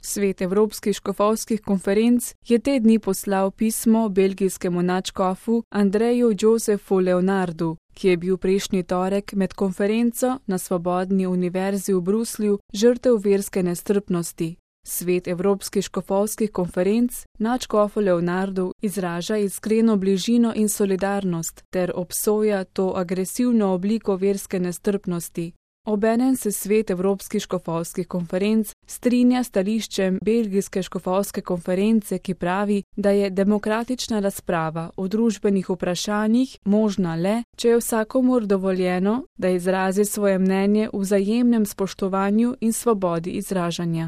Svet Evropskih škofovskih konferenc je te dni poslal pismo belgijskemu nadškofu Andreju Josefu Leonardu, ki je bil prejšnji torek med konferenco na Svobodni univerzi v Bruslju žrtev verske nestrpnosti. Svet Evropskih škofovskih konferenc nadškofu Leonardu izraža iskreno bližino in solidarnost ter obsoja to agresivno obliko verske nestrpnosti. Obenem se Svet Evropskih škofovskih konferenc strinja s stališčem Belgijske škofovske konference, ki pravi, da je demokratična razprava o družbenih vprašanjih možna le, če je vsakomur dovoljeno, da izrazi svoje mnenje v vzajemnem spoštovanju in svobodi izražanja.